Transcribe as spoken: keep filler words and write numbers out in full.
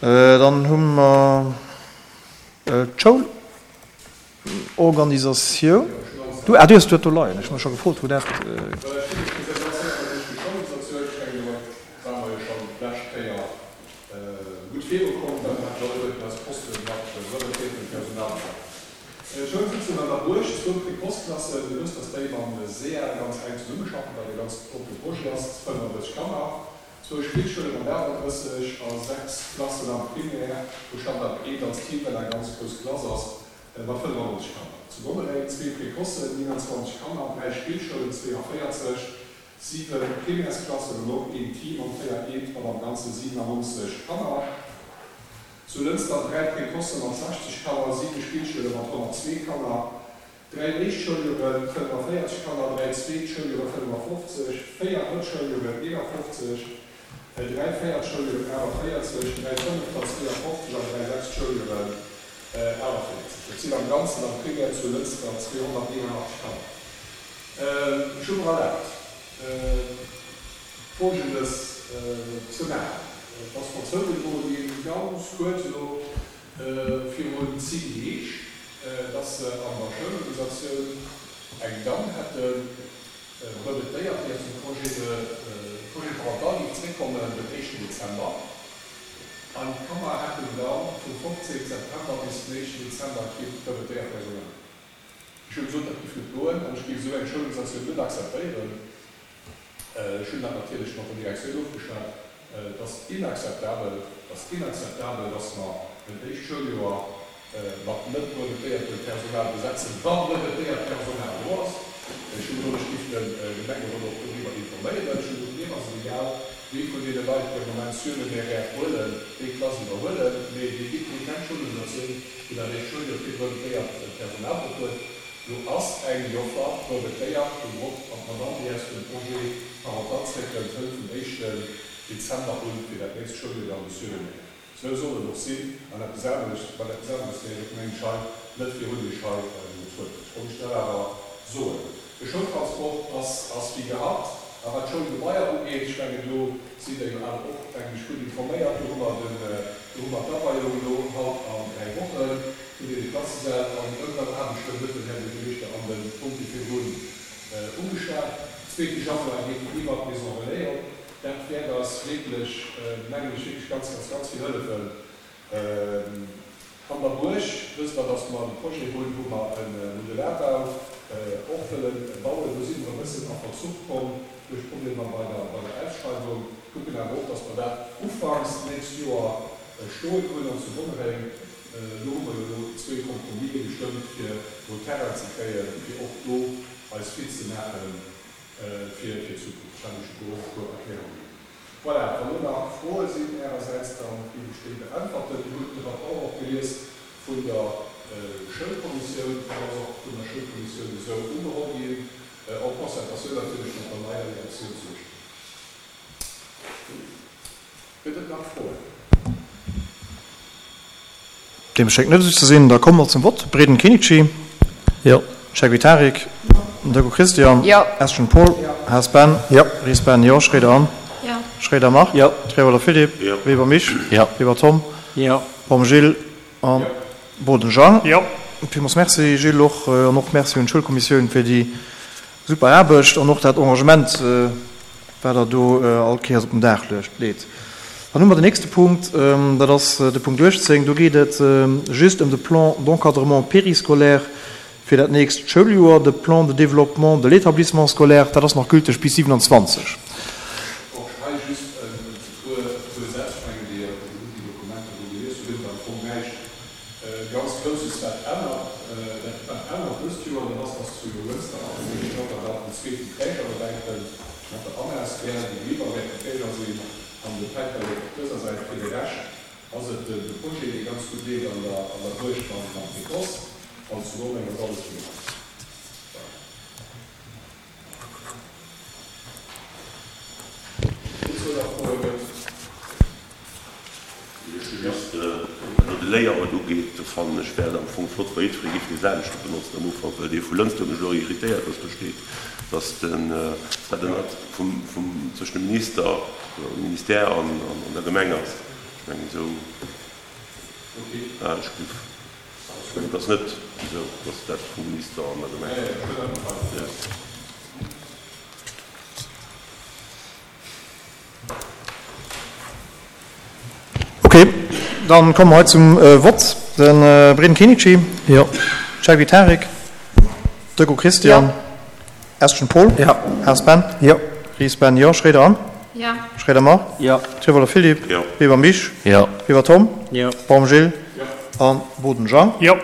Dann hu mer d'Schoulorganisatioun. Du, ah, du hues dat do leien. Ech hu mech scho gefrot, wou dat. Zwou Spillschoule mat aachtenddrësseg a sechs Klassen am Primaire, wou Standard eent als Team, well eng ganz grouss Klass ass, mat fënnefannonzeg Kanner. Zu Gonnereng zwee Précocen, nienanzwanzeg Kanner, dräi Spillschoulen, zweeavéierzeg, siwe Primairesklassen an och een Team an véier Eent mat am Ganze siwenannonzeg Kanner. Zu Lënster dräi Précocen mat sechzeg Kanner, siwe Spillschoule mat honnertzwee Kanner, dräi éischt Schouljoren, fënnefavéierzeg Kanner, dräi zweet Schouljoren, fënnefafofzeg, véier drëtt Schouljoren, eenafofzeg, dräi véiert Schouljoren, aachtavéierzeg, dräi fënnefter, zweeafofzeg an dräi sechst Schouljoren, aachtavéierzeg. Dat sinn am Ganzen am Primaire zu Lënster zweehonnerteenanachtzeg Kanner. Ech hu mer erlaabt, Folgendes ze maachen. Et ass mer zougedroe ginn, ganz kuerz elo virun zéng Deeg, dass se an der Schoulorganisatioun eng Damm hätten, brevetéiert, déi aus dem Congé de Congé parental géif zréckkommen den éischten Dezember. An d'Kanner hätten da vum fofzéngten September bis den éischten Dezember kee brevetéiert Personal. Ech hu gesot, dat géif net goen an ech géif esou eng Schoulorganisatioun net akzeptéieren. Ech hunn dat natierlech mat der Direktioun ofgeschwat. Et ass inakzeptabel, et ass inakzeptabel, dass mer en éischt Schouljoer mat net brevetéiertem Personal besetzen, wa brevetéiert Personal do ass. Ech hu gesot, ech géif de Gemengerot och doriwwer informéieren. Ech hu gesot, mir ass et egal, wie vun deene Leit, déi am Moment surnuméraire huelen, déi Klass iwwerhuelen, mee dir gitt mir keng Schoulorganisatioun, wou dat éischt Schouljoer kee brevetéiert Personal drop huet. Do ass eng Joffer brevetéiert, déi drop an d'Madame, déi aus dem Congé parental zréckkënnt, hëlt vum éischten Dezember un fir dat nächst Schouljoer dann de Surnuméraire. Sou soll et och sinn, an eppes aneres, well eppes aneres wär jo, mengen ech, hei net virun Iech hei getrueden. Ech wollt Iech dat awer soen. De Schoultransport ass ass wéi gehabt. A wat d'Schoulgebaier ugeet, ech mengen, do sidd Der jo awer och, mengen ech, gutt informéiert, do hu mer den, do hu mer d'Aweiung elo haut an dräi Woche vun deene Klassesäll an Ëmbauaarbechten, huet den Här Buergermeeschter an de Punkte virdrun ugeschwat. Zweete Januar geet iwwert d'Maison Relais op. Dat wäert eis wierklech, mengen ech, wierklech ganz, ganz, ganz vill hëllefen. An der Buerg wësst Der, dass mer de Projet hunn, wou mer e Modularbau och wëlle bauen. Do si mer e bëssen a Verzuch komm duerch Problemer bei der, bei der Ausschreiwung. Kucken awer och, dass mer dat ufanks d'nächst Joer stoen hunn. An zu Gonnereng, do hu mer jo elo zwee Compromisë gestëmmt, fir do Terrain ze kréien, fir och do eis fit ze maachen fir d'Zukunft. Ech hat Iech jo do och e puer Erklärunge ginn. Voilà, wann elo nach Froe sinn Ärersäits, da géif ech déi beäntwerten. Dir hutt de Rapport och gelies vun der Schoulkommissioun. Dat ass och vun der Schoulkommissioun esou ugeholl ginn, en concertatioun natierlech mat der neier Direktioun zu Esch. Gëtt et nach Froen? Deem schéngt net esou ze sinn. Da komme mer zum Vott. Breden Kinici. Jo. Cheikh Tarik. Jo. Deco Christian. Jo. Eschen Paul. Jo. Haas Ben. Jo. Ries Ben. Jo. Schroeder Anne. Jo. Schroeder Marc. Jo. Trewolder Philippe. Jo. Weber Misch. Jo. Weber Tom. Jo. Baum Gilles a Jo. Boden Jean. Jo. Villmools Merci Gilles och an och Merci un d'Schoulkommissioun fir déi super Aarbecht an och dat Engagement, wat Der do all Kéiers op den Dag leet. Dann hu mer den nächste Punkt, dat ass de Punkt uechtzéng. Do geet et just ëm de Plan d'encadrement périscolaire fir dat nächst Schouljoer, de Plan de développement de l'établissement scolaire, dat ass nach gülteg bis siewenanzwanzeg. Och hei just e puer Sätz, ech mengen, Dir hutt déi Dokumenter do gelies, do gëtt et am Fong näischt ganz Grousses, wat ännert. Dat, wat ännert dëst Joer, dat ass, dass zu Jonglënster ab dem éischten Januar dann en zweeten Träger dobäi kënnt, mat der Anna-S B L, déi liwwer wäert den Träger sinn, an de Päiperlek op dëser Säit. Fir de Rescht ass et de Projet, dee ganz gutt leeft an der an der Buerg mam mam Précoce, an zu Gonnereng ass alles wéi gehabt. Voilà. Dozou nach Froe gëtt? Ech hu just, wat elo de Layout ugeet, do fannen ech, wär et am Fong flott, wa jiddweree géif dee selwechte benotzen am Ufank, well dee vu Lënster huet mech elo irritéiert, dass do steet, dass den, dat ënnert vum, vum, zwëschen dem Minister oder dem Ministère an, an der Gemeng ass. Ech Ech mengen esou, ah, ech géif, ech mengen et ass net esou, dass dat vum Minister an der Gemeng. Jo. Ok, dann komme mer hei zum Vott. De Breden Kenichi. Jo. Chaibi Tarek. Deco Christian. Jo. Estgen Paul. Jo. Haas Ben. Jo. Ries Ben, jo. Schroeder Anne. Jo. Schroeder Marc. Jo. Trivolo Philippe. Jo. Weber Misch. Jo. Weber Tom. Jo. Baum Gilles. Jo. A Boden Jean. Jo.